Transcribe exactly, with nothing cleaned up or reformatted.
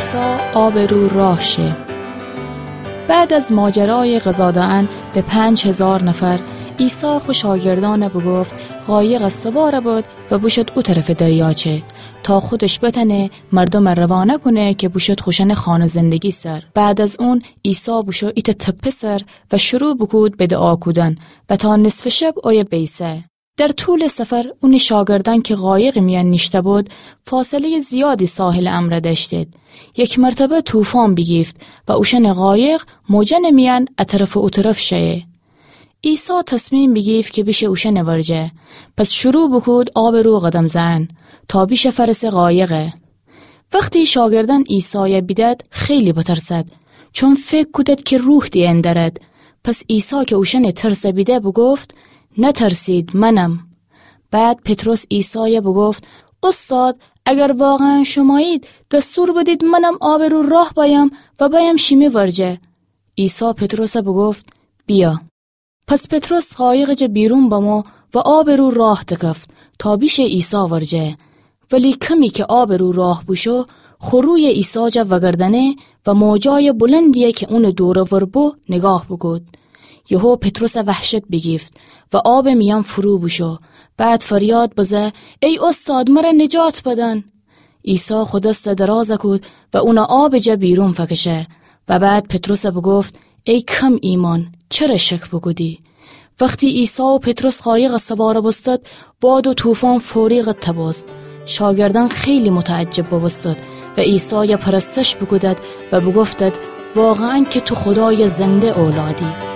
عیسی آبٚ رو راه شه. بعد از ماجرایٚ غذا دأن به پنج هیزار نفر، عیسی خو شاگردأن بوگفت قایقٚ سوار بد و بوشد او طرفٚ دریاچه، تا خودش بتأنه مردوم روانه کونه که بوشد خوشأنٚ خانه زندگی سر. بعد از اون عیسی بوشو ایتأ تپه سر و شروع بوکود به دعا کودن و تا نصفٚ شب اویه بیسه. در طولٚ سفر اونٚ شاگردأن که قایقٚ میأن نیشته بد، فاصله‌یٚ زیادی ساحلٚ امرأ دأشتید. یک مرتبه طوفان بیگیفت و اوشأنٚ قایق موجأنٚ میأن ا طرف و او طرف شئه. عیسی تصمیم بیگیفت که بیشه اوشأنٚ ورجه. پس شروع بوکود آبٚ رو قدم زئن تا بیشه فأرسه قایقه. وختی شاگردأن عیسای بیدد، خیلی بترسد، چون فکر کودد که روح دیأن دأرد. پس عیسی که اوشأنٚ ترس بیده، بوگفت: «نترسید، منم.» بعد پطرس عیسای بوگفت: «اوستاد، اگر واقعاً شمایید، دستور بدید منم آبٚ رو راه بأیم و بأیم شیمی ورجه.» عیسی پطرس بوگفت: «بیا.» پس پطرس قایقٚ جا بیرون بمو و آبٚ رو راه دکفت تا بیشه عیسی ورجه. ولی کمی که آبٚ رو راه بوشو، خو روی عیسی جا وگردأنه و موجای بلندیی که اونٚ دور و ور بو نگاه بوکود. یهو پطرس وحشت بیگیفت و آبٚ میأن فرو بوشو. بعد فریاد بزه: «ای اوستاد، مر نجات بدن!» عیسی خو دس دراز کود و اون آبٚ جا بیرون فکشه و بعد پطرس بوگفت: «ای کم ایمأن، چره شک بوکودی؟» وختی عیسی و پطرس قایق سوار بوستد، باد و طوفان فوری قطع بوست. شاگردأن خیلی متعجب بوبوستد و عیسای پرستش بوکودد و بوگفتد: «واقعاً که تو خودایٚ زنده اولادی.»